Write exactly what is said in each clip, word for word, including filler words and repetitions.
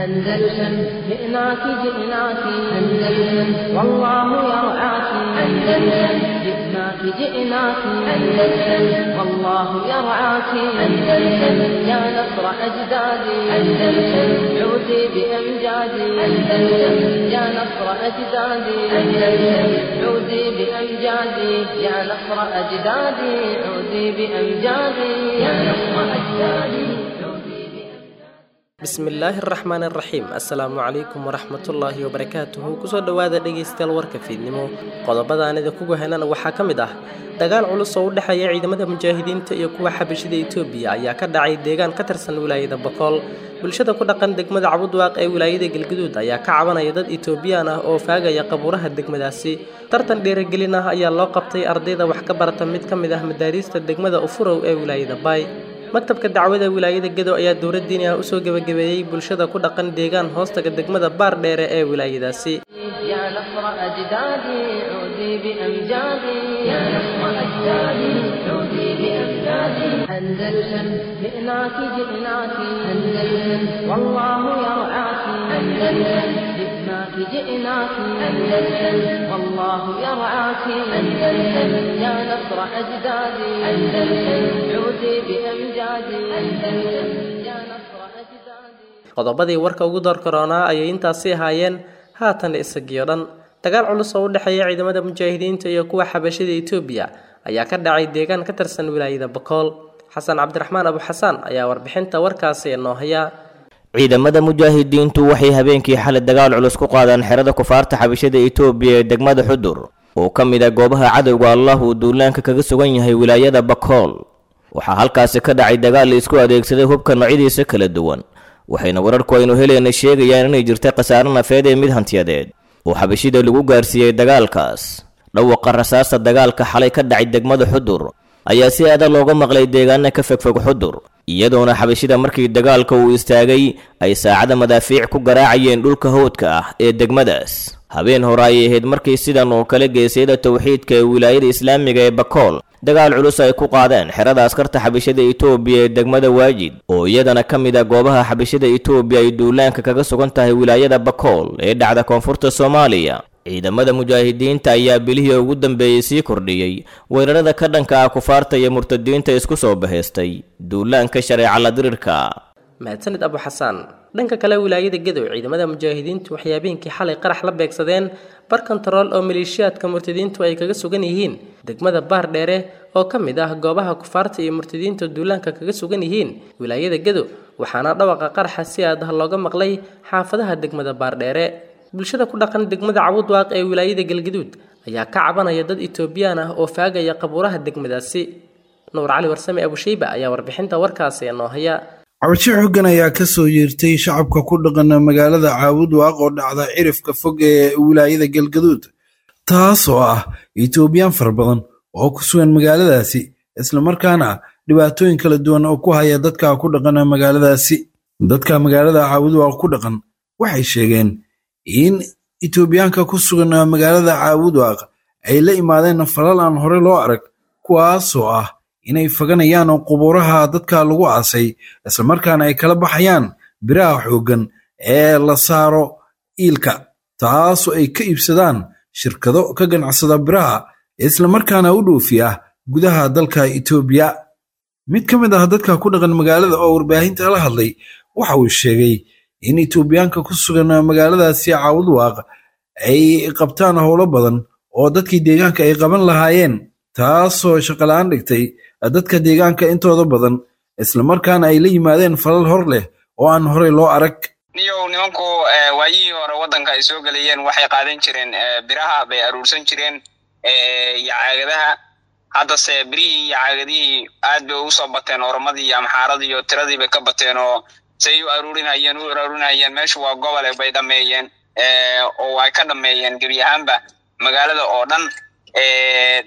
أندلسن جئناك جئناك أندلسن والله يرعاك أندلسن جئناك جئناك أندلسن والله يرعاك أندلسن يا نصر أجدادي أندلسن عودي بأمجادي أندلسن يا نصر أجدادي أندلسن عودي بأمجادي يا نصر أجدادي عودي بأمجادي يا نصر أجدادي. Bismillaahi araxmaan araxiim. Assalaamu calaykum waraxmatullaahi wabarakaatuhu. Kusoo dhowaada dhegaystayaal warka fiidnimo. Qodobada aan idinku heynana waxaa ka mid ah dagaal culus oo u dhexeeya ciidamada mujaahidiinta iyo kuwa xabashida Itoobiya ayaa ka dhacay deegaan ka tirsan wilaayada Boqol. Bulshada ku dhaqan degmada Cabudwaaq ee wilaayada Galgaduud ayaa ka cabanaya dad Itoobiyaan ah oo faagaya qabuuraha degmadaasi. Tartan dhiirigelin ah ayaa loo qabtay ardayda wax ka barata mid ka mid ah madaariista degmada Ufurow ee wilaayada Bay. Maktabka dacwada wilaayada Gedo ayaa dowlad diini ah usoo gebagabeeyey bulshada ku dhaqan deegaan hoostaga degmada Baardheere ee wilaayadaasi. يا نصر أجدادي عودي بأمجادي يا نصر أجدادي عودي بأمجادي أندلسن جئناك جئناك أندلسن والله يرعاك أندلسن جئناك جئناك أندلسن والله يرعاك أندلسن يا نصر أجدادي أندلسن عودي بأمجادي أندلسن يا نصر أجدادي. Qodobadii warka ugu door koronaa ayay intaasi ahaayeen, haatan isagiyo dhan. Dagaal culus oo u dhexeeya ciidamada mujaahidiinta iyo kuwa xabashida Itoobiya ayaa ka dhacay deegaan ka tirsan wilaayada Bokool. Xasan Cabdiraxmaan Abu Xasaan ayaa warbixinta warkaasi inoo haya. Ciidamada mujaahidiintu waxay habeenkii xalay dagaal culus ku qaadeen xerada kufaarta xabashada Itoobiya ee degmada Xudur, oo ka mid ah goobaha cadowga Allah uu duulaanka kaga sugan yahay wilaayada Bakool. Waxaa halkaasi ka dhacay dagaal la isku adeegsaday hubka noocyadiisa kala duwan, waxayna wararku aynu helayna sheegayaan inay jirta khasaare nafeed ee mid hantiyadeed oo xabashida lagu gaarsiiyey dagaalkaas. Dhawaqa rasaasta dagaalka xalay ka dhacay degmada Xudur ayaa si adag looga maqlay deegaana ka fogfog Xudur, iyadoona xabashida markii dagaalka uu istaagay ay saacada madaafiic ku garaacayeen dhulka howdka ah ee degmadaas. Habeen hore ayay ahayd markii sidan oo kale geesyada towxiidka ee wilaayada islaamiga ee Bakool dagaal culus ay ku qaadeen xerada askarta xabashada Itoobiya ee degmada Waajid, oo iyadana ka mid ah goobaha xabashada Itoobiya ay duulaanka kaga sugan tahay wilaayada Bakool ee dhacda koonfurta Soomaaliya. Ciidamada mujaahidiinta ayaa bilihii ugu dambeeyey sii kordhiyey weerarada ka dhanka ah kufaarta iyo murtadiinta isku soo bahaystay duulaanka shareeca la dirirka. Mahadsanid Abu Xasaan. Dhanka kale, wilaayada Gedow ciidamada mujaahidiintu waxay habeenkii xalay qarax la beegsadeen bar kontarool oo maleeshiyaadka murtadiintu ay kaga sugan yihiin degmada Baardheere, oo ka mid ah goobaha kufaarta iyo murtadiinta duulaanka kaga sugan yihiin wilaayada Gedo, waxaana dhawaqa qaraxa si aad ah looga maqlay xaafadaha degmada Baardheere. Bulshada ku dhaqan degmada Cabudwaaq ee wilaayada Galgaduud ayaa ka cabanaya dad Itoobiyaan ah oo faagaya qabuuraha degmadaasi. Nuur Cali Warsame Abushayba ayaa warbixinta warkaasi inoo haya. Cabasho xooggan ayaa ka soo yeertay shacabka ku dhaqan magaalada Caabudwaaq oo dhacda cirifka fog ee wilaayada Galgaduud, taasoo ah Itoobiyaan fara badan oo ku sugan magaaladaasi, islamarkaana dhibaatooyin kala duwan oo ku haya dadka ku dhaqan magaaladaasi. Dadka magaalada Caabudwaaq ku dhaqan waxay sheegeen in Itoobiyaanka ku sugan magaalada Caabudwaaq ay la imaadeen falal aan hore loo arag, kuwaasoo ah inay faganayaan qubuuraha dadka lagu aasay, islamarkaana ay kala baxayaan biraha xooggan ee la saaro iilka, taasoo ay ka iibsadaan shirkado ka ganacsada biraha, islamarkaana u dhoofiya gudaha dalka Itoobiya. Mid ka mid ah dadka ku dhaqan magaalada oo warbaahinta la hadlay waxa uu sheegay in Itoobiyaanka ku sugan magaaladaasi Caabudwaaq ay qabtaan howlo badan oo dadkii deegaanka ay qaban lahaayeen, taasoo shaqo la'aan dhigtay dadka deegaanka intooda badan, islamarkaana ay la yimaadeen falal hor leh oo aan horey loo arag. Niyow, nimanku waayihii hore waddanka ay soo gelayeen waxay qaadan jireen biraha bay aruursan jireen iyo caagadaha. Haddase birihii iyo caagadihii aad bay ugu soo bateen oromadii iyo amxaaradii, iyo tiradii bay ka bateen, oo say u aruurinayeen u aruurinayeen meeshu waa gobole bay dhameeyeen, oo ay ka dhameeyeen gebi ahaanba magaalada oo dhan.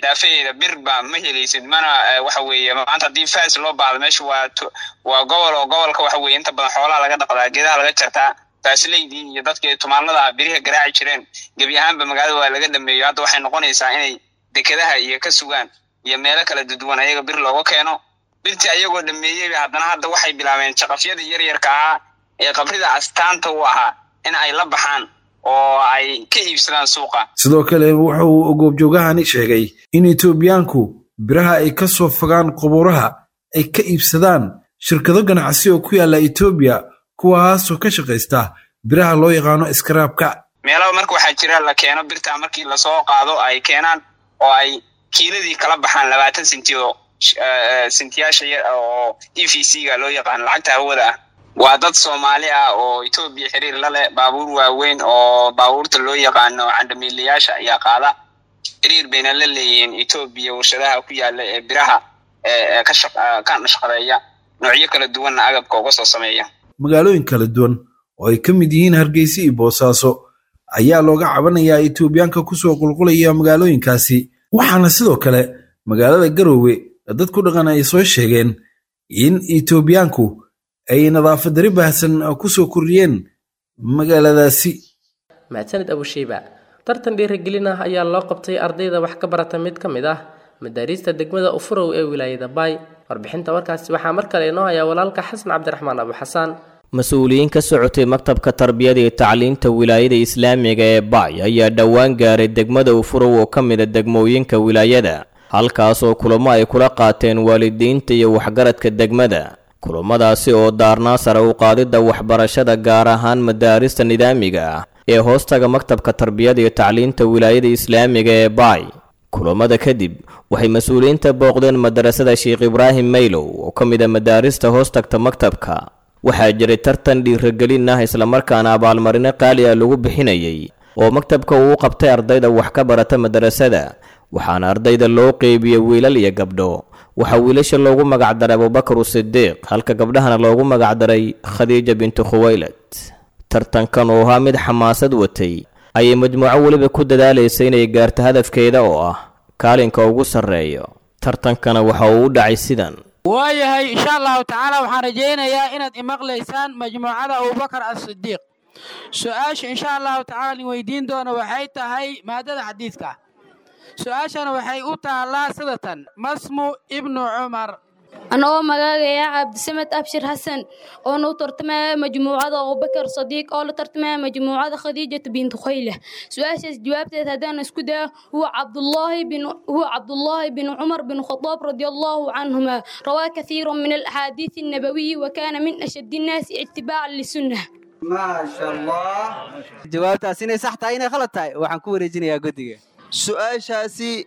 Daafaheeda birba ma helaysid, mana waxa weeye maanta haddii faas loo baahdo, meeshu waa waa gobol, oo gobolka waxa weeye inta badan xoolaha laga dhaqdaa, geedaha laga jartaa. Faasleydii iyo dadkii tumaanada ah biriha garaaci jireen gebi ahaanba magaalada waa laga dhameeyo. Hadda waxay noqonaysaa inay dekedaha iyo ka sugaan iyo meelo kala duduwan ayaga bir looga keeno. Birtii ayagoo dhameeyeyba haddana hadda waxay bilaabeen jaqafyadii yaryarka ahaa ee qabrida astaanta u ahaa in ay la baxaan oo ay ka iibsadaan suuqa. Sidoo kale wuxuu goobjoogahani sheegay in Itoobiyaanku biraha ay ka soo fogaan qubuuraha ay ka iibsadaan shirkado ganacsi oo ku yaala Itoobiya, kuwaasoo ka shaqaysta biraha loo yaqaano iskaraabka. Meelaha marka waxaa jira la keeno birta markii lasoo qaado ay keenaan oo ay kiiladii kala baxaan labaatan senti oo sentiyaasha oo E V C ga loo yaqaano lacagta hawada ah. Waa dad Soomaali ah oo Itoobiya xiriir la leh, baabuur waaweyn oo baabuurta loo yaqaano candhamiilayaasha ayaa qaada. Xiriir bayna la leeyihiin Itoobiya warshadaha ku yaala ee biraha ee ka ka nashqadeeya noocyo kala duwanna agabka uga soo sameeya. Magaalooyin kala duwan oo ay ka mid yihiin Hargeysa iyo Boosaaso ayaa looga cabanayaa Itoobiyaanka kusoo qulqulaya magaalooyinkaasi, waxaana sidoo kale magaalada Garowe dad ku dhaqan ay soo sheegeen in Itoobiyaanku ay nadaafad dari baahsan kusoo kordhiyeen magaaladaasi. Mahadsanid Abushiiba. Tartan dhiirigelin ah ayaa loo qabtay ardayda wax ka barata mid ka mid ah madaarista degmada Ufurow ee wilaayada Baay. Warbixinta warkaasi waxaa mar kale inoo haya walaalka Xasan Cabdiraxmaan Abu Xasaan. Mas-uuliyiin ka socotay maktabka tarbiyada iyo tacliinta wilaayada islaamiga ee Baay ayaa dhowaan gaaray degmada Ufurow oo ka mid ah degmooyinka wilaayada, halkaas oo kulamo ay kula qaateen waalidiinta iyo waxgaradka degmada. Kulamadaasi oo daarnaa sare u qaadidda waxbarashada gaar ahaan madaarista nidaamiga ah ee hoostaga maktabka tarbiyada iyo tacliinta wilaayada islaamiga ee Baay. Kulamada kadib waxay mas-uuliyiinta booqdeen madarasada Sheekh Ibraahim Maylow oo ka mid ah madaarista hoostagta maktabka. Waxaa jiray tartan dhiirigelin ah islamarkaana abaalmarino qaali ah lagu bixinayay oo maktabka uu qabtay ardayda wax ka barata madarasada, waxaana ardayda loo qeybiyey wiilal iyo gabdho. Waxaa wiilasha loogu magacdaray Abubakar Sidiiq, halka gabdhahana loogu magacdaray Khadiija bintu Khuwaylad. Tartankan oo ahaa mid xamaasad watay ayay majmuuco weliba ku dadaalaysay inay gaarto hadafkeeda oo ah kaalinka ugu sarreeyo. Tartankana waxa uu u dhacay sidan. Waayahay, insha allahu tacaala waxaan rajaynayaa inaad imaqlaysaan majmuucada Abubakar As-Sidiiq. Su-aasha insha allahu tacaala idin weydiin doono waxay tahay maadada xadiidka. Su-aashana waxay u taallaa sidatan: masmu ibnu Cumar. Anagoo magaagaya Cabdisamed Abshir Xasan oona u tartamaya majmuucada Abubakar Sadiiq oo la tartamaya majmuucada Khadiijatu bintu Khayla. Su-aashaas jawaabteed haddaan isku dayo, huwa Cabdullaahi bin huwa Cabdullaahi bin Cumar bin Khadaab radiyallahu canhuma, rawaa kathiiran min alaxaadiis annabawiyi wa kaana min ashaddi annaasi itibaacan lisunnah. Maasha Allah, jawaabtaas inay sax tahay inay khalad tahay waxaan ku wareejinayaa guddiga. Su-aashaasi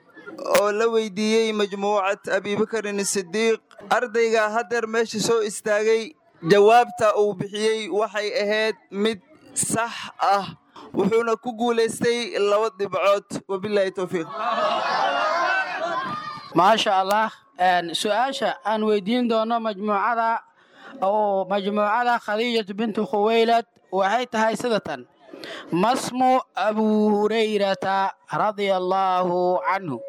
oo la weydiiyey majmuucad Abibakarin Sidiiq, ardayga haddeer meesha soo istaagay jawaabta uu bixiyey waxay ahayd mid sax ah, wuxuuna ku guulaystay laba dhibcood. Wabilaahi towfiiq. Maasha Allah. Su-aasha aan weydiin doono majmuucada oo majmuucada Khadiijatu bintu Khuwaylad waxay tahay sidatan: masmu Abu Hurayrata radia allaahu canhu.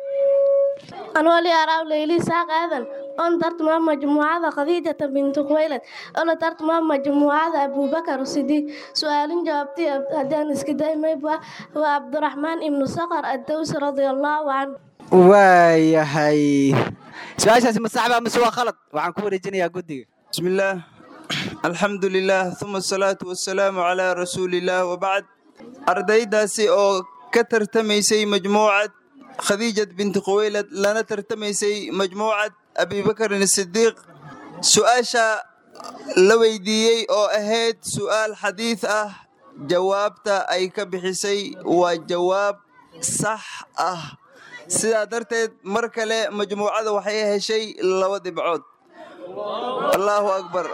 Anoo liyaaraw Leyli Saaq Aadan oon tartama majmuucada Khadiijata bintu Khuwaylad oo la tartama majmuucada Abubakar Sidiiq. Su'aalin jawaabtii haddaan iska day mayba waa Cabdiraxmaan ibnu Saqar Addawsi radiallahu canhu. Waayahay, su-aashaasi ma sax baa mise waa khalad? Waxaan ku wareejinayaa guddiga. Bismillaah, alxamdu lilaah, uma asalaatu wasalaamu calaa rasuulillaah, wabacd. Ardaydaasi oo ka tartamaysay majmuucad Khadiijat binti Khuwaylad lana tartamaysay majmuucad Abibakarin Sidiiq, su'aasha la weydiiyey oo ahayd su'aal xadiid ah, jawaabta ay ka bixisay waa jawaab sax ah. Sidaa darteed mar kale majmuucada waxay heshay laba dhibcood. Allahu akbar.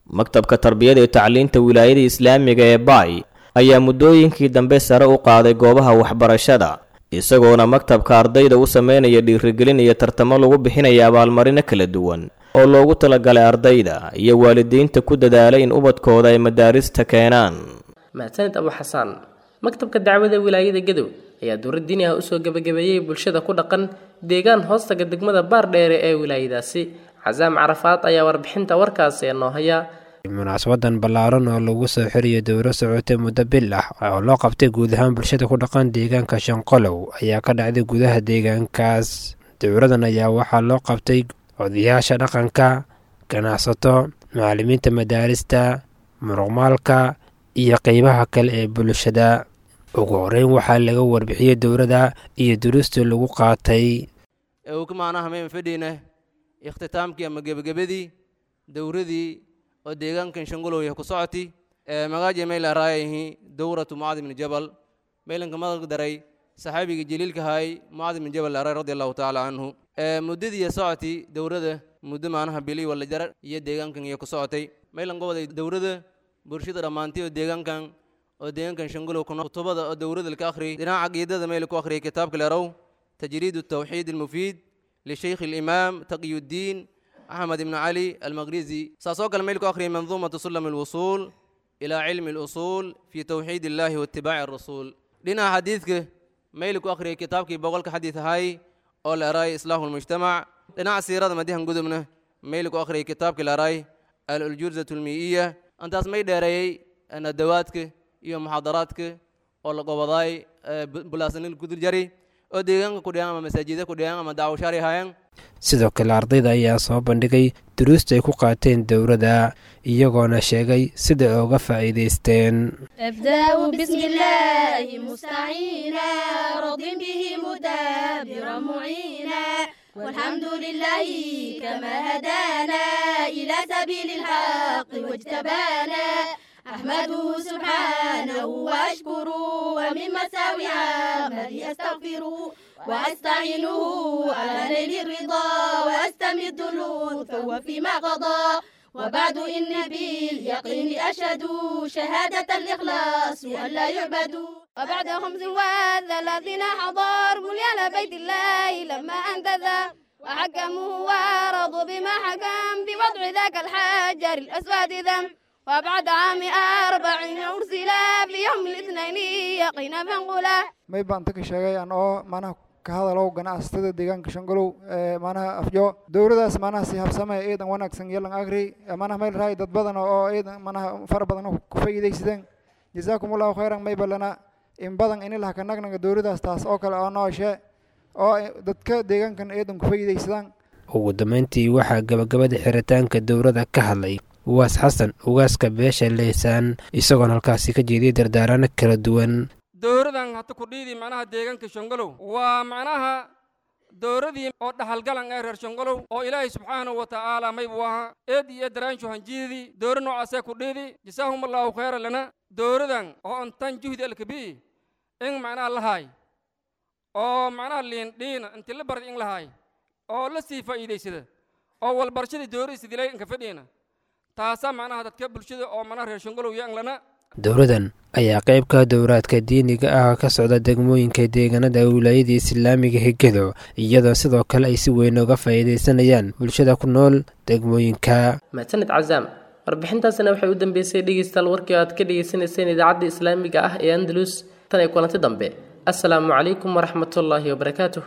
Maktabka tarbiyada iyo tacliinta wilaayada islaamiga ee Baay ayaa muddooyinkii dambe sare u qaaday goobaha waxbarashada, isagoona maktabka ardayda u sameynaya dhiirigelin iyo tartamo lagu bixinaya abaalmarino kala duwan oo loogu talagalay ardayda iyo waalidiinta ku dadaalay in ubadkooda ay madaarista keenaan. Mahadsanid Abu Xasaan. Maktabka dacwada wilaayada Gadow ayaa dowlad diini ah usoo gebagabeeyey bulshada ku dhaqan deegaan hoostaga degmada Baardheere ee wilaayadaasi. Casaam Carafaad ayaa warbixinta warkaasi noo haya. Munaasabadan ballaaran oo lagu soo xiriyo dowro socotay muddo bil ah oo loo qabtay guud ahaan bulshada ku dhaqan deegaanka Shanqolow ayaa ka dhacday gudaha deegaankaas. Dowradan ayaa waxaa loo qabtay odayaasha dhaqanka, ganacsato, macallimiinta madaarista, Muruqmaalka iyo qeybaha kale ee bulshada. Ugu horeyn waxaa laga warbixiyey dowladda iyo duruusta lagu qaatay. Uu macnaha mayn fadhiyna ikhtitaamkii ama gebagabadii dowradii oo deegaankan Shangolow ku socotay, magaaji may la raayahi dowratu Mucaad ibn Jabal, maylanka madag daray saxaabiga jaliilka hay Mucaad ibn Jabal la raay radi Allahu tacaala canhu. Muddadii socotay dowrada muddo macnaha bili wala jarar iyo deegaankan iyo ku socotay, maylan goboday dowrada bulshada dhammaantii oo deegaankan oo deegaankan Shangolow ku kutubada oo dowrada ka akhriyay. Dhinaca caqiidada mayl ku akhriyay kitaabka leerow تجريد التوحيد المفيد لشيخ الإمام تقي الدين أحمد بن علي المغريزي. ساسوك الملك أخري منظومة سلم الوصول إلى علم الأصول في توحيد الله واتباع الرسول. لنا حديثك ميلك أخري كتابك بقولك حديث هاي أول أراي إصلاح المجتمع. لنا سيرة مديها قدمنا ميلك أخري كتابك الأراي الألجوزة المئية. أنت أسمي داري أن دواتك iyo محاضراتك أول قبضاي بلاسنين الكدر جري oo deegaanka ku dhigan ama masaajida ku dhigan ama daawashaari haayaan. Sidoo kale ardayda ayaa soo bandhigay duruusta ay ku qaateen dowladda, iyagoona sheegay sida ay uga faa'iidaysteen. أبدأ بسم الله مستعينا، راض به مدبرا معينا، والحمد لله كما هدانا إلى سبيل الحق واجتبانا، أحمده سبحانه وأشكره، ومن مساوي عملي أستغفره، وأستعينه على نيل الرضا، وأستمد لطفه فيما قضى، وبعد إن باليقين أشهد شهادة الإخلاص وأن لا يعبد. وبعد خمس وثلاثين حضر بنيان بيت الله لما أنتذى، وحكموه ورضوا بما حكم بوضع ذاك الحجر الأسود ذم، وبعد عام أربعين أرسل في يوم الاثنين يقينا فانقلا. May baan ta ka sheegay an oo macnaha ka hadalow ganacsatada deegaanka Shangolow ee macnaha afjo dowladaas macnaha si habsamay eedan wanaagsan yeelan agri macnaha meel raay dad badan oo eedan macnaha far badan oo ku faa'iideysadeen. Jazaakumullahu khayran. May balana in badan in ilaha ka nagnaga dowladaas taas oo kale oo nooshe oo dadka deegaankan eedan ku faa'iideysadaan. Ugu dambeyntii waxaa gabagabada xiritaanka dowladda ka hadlay Ugaas Xasan, ugaaska beesha Leysaan, isagoona halkaasi ka jeediyey dardaarano kala duwan. Dowradan hata ku dhiidi macnaha deegaanka Shangolow waa macnaha dowradii oo dhaxalgalan ee reer Shangolow oo Ilaahay subxaanahu wa tacaala maybu ahaa eed iyo daraanshu hanjiidii dowra noocaasee ku dhiidi. Jasaahum Allahu khayra lana. Dowradan oo antan juhdi alkabii in macnaha lahaay oo macnaha liindhiina inti la bardi in lahaay oo la sii faa'iidaysada oo walbarashadii dowradiisa dilay inka fadhiina taasaa macnaha dadka bulshada oo macnaha reer Shangolow iyo anglana. Dowladan ayaa qayb ka dowraadka diiniga ah ka socda degmooyinka deegaanada wilaayada islaamiga Higedo, iyadoo sidoo kale ay si weyn uga faa'iidaysanayaan bulshada ku nool degmooyinka. Mahadsanid Cazaam. Warbixintaasina waxay u dambeysay dhegeystayaal warkii aad ka dhegeysanayseen idaacadda islaamiga ah ee Andalus. Tan iyo kulanti dambe, assalaamu calaykum waraxmatullaahi wabarakaatuh.